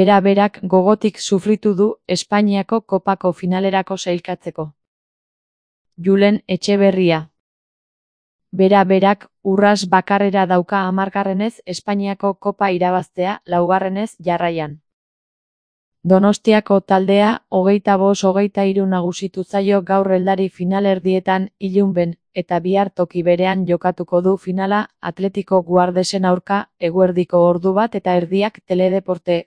Bera-berak gogotik sufritu du Espainiako kopako finalerako sailkatzeko. Julen Etxeberria. Bera-berak urras bakarrera dauka 10. Espainiako kopa irabaztea, 4. jarraian. Donostiako taldea 25-23 nagusitu zaio gaur heldari finalerdietan Ilunben, eta bihar toki berean jokatuko du finala Atletico Guardesen aurka eguerdiko 1:30 Teledeporte.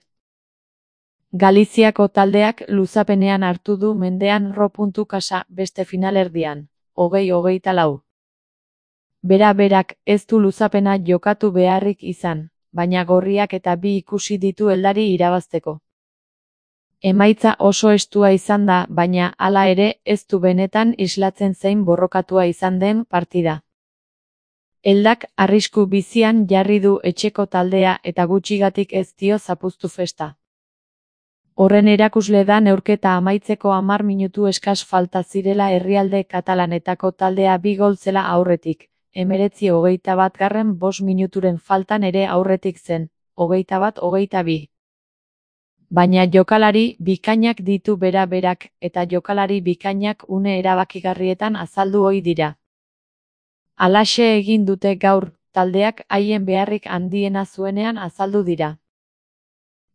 Galiziako taldeak luzapenean hartu du mendean Ro.Kasa beste finalerdian, 20-24. Bera-berak ez du luzapena jokatu beharrik izan, baina gorriak eta bi ikusi ditu heldari irabazteko. Emaitza oso estua izan da, baina hala ere ez du benetan islatzen zein borrokatua izan den partida. Heldak arrisku bizian jarri du etxeko taldea eta gutxigatik ez dio zapuztu festa. Horren erakusle da neurketa amaitzeko 10 minutu eskas falta zirela herrialde katalanetako taldea 2 gol zela aurretik, 19-21 5 minuturen faltan ere aurretik zen, 21-22. Baina jokalari bikainak ditu bera-berak, eta jokalari bikainak une erabakigarrietan azaldu ohi dira. Halaxe egin dute gaur, taldeak haien beharrik handiena zuenean azaldu dira.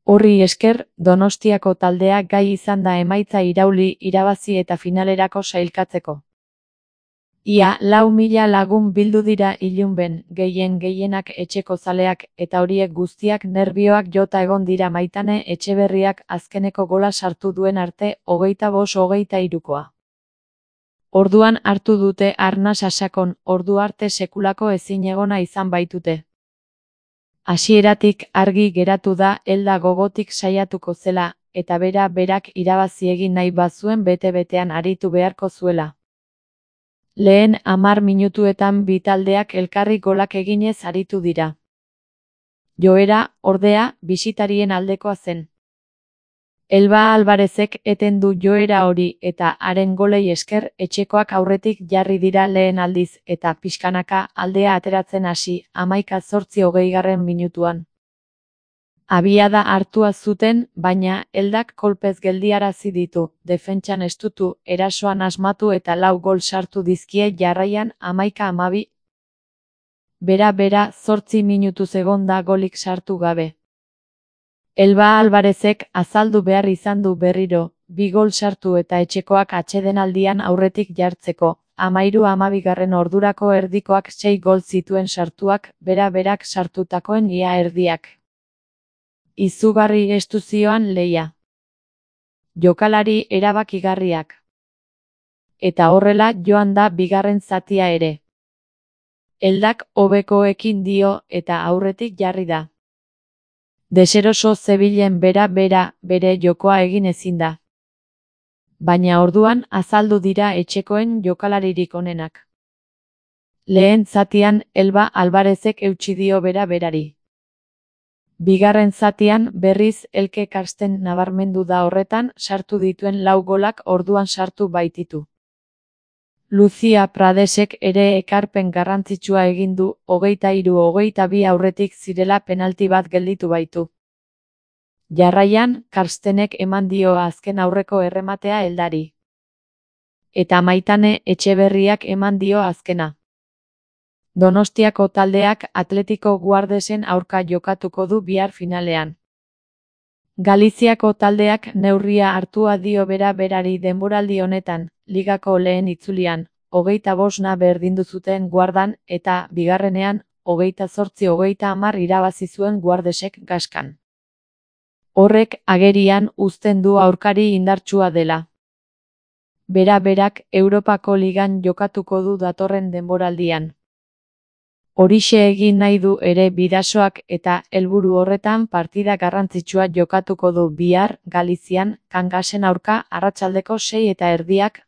Horri esker, Donostiako taldea gai izan da emaitza irauli, irabazi eta finalerako sailkatzeko. Ia 4.000 lagun bildu dira Ilunben, gehienak etxeko zaleak, eta horiek guztiak nerbioak jota egon dira Maitane Etxeberriak azkeneko gola sartu duen arte 25-23koa. Orduan hartu dute arnas asakon, ordu arte sekulako ezinegona izan baitute. Hasieratik argi geratu da helda gogotik saiatuko zela, eta bera-berak irabazi egin nahi bazuen bete-betean aritu beharko zuela. Lehen 10 minutuetan bi taldeak elkarri golak eginez aritu dira. Joera, ordea, bisitarien aldekoa zen. Elba Alvarezek eten du joera hori eta haren golei esker etxekoak aurretik jarri dira lehen aldiz eta pixkanaka aldea ateratzen hasi 11-20 minutuan. Abiada hartua zuten, baina heldak kolpez geldiarazi ditu, defentsan estutu, erasoan asmatu eta 4 gol sartu dizkie jarraian 11-12. Bera-bera 8 minutuz egon da golik sartu gabe. Elba Alvarezek azaldu behar izan du berriro, 2 gol sartu eta etxekoak atsedenaldian aurretik jartzeko, 13-12 ordurako erdikoak 6 gol zituen sartuak, bera-berak sartutakoen ia erdiak. Izugarri estu zioan lehia. Jokalari erabakigarriak. Eta horrela joan da bigarren zatia ere. Heldak hobekoekin dio eta aurretik jarri da. Deseroso zebilen bera-bera bere jokoa egin ezin da. Baina orduan azaldu dira etxekoen jokalaririk onenak. Lehen zatian Elba Alvarezek eutsi dio bera-berari. Bigarren zatian berriz Elke Karsten nabarmendu da horretan sartu dituen 4 golak orduan sartu baititu. Lucia Pradesek ere ekarpen garrantzitsua egin du 23-22 aurretik zirela penalti bat gelditu baitu. Jarraian, Karstenek eman dio azken aurreko errematea heldari. Eta Maitane Etxeberriak eman dio azkena. Donostiako taldeak Atletico Guardesen aurka jokatuko du bihar finalean. Galiziako taldeak neurria hartua dio bera-berari denboraldi honetan, ligako lehen itzulian, 25 berdindu zuten Guardan eta bigarrenean 28-30 irabazi zuen Guardesek Gaskan. Horrek agerian uzten du aurkari indartsua dela. Bera-berak Europako ligan jokatuko du datorren denboraldian. Horixe egin nahi du ere Bidasoak eta helburu horretan partida garrantzitsua jokatuko du bihar Galizian Kangasen aurka arratsaldeko 6:30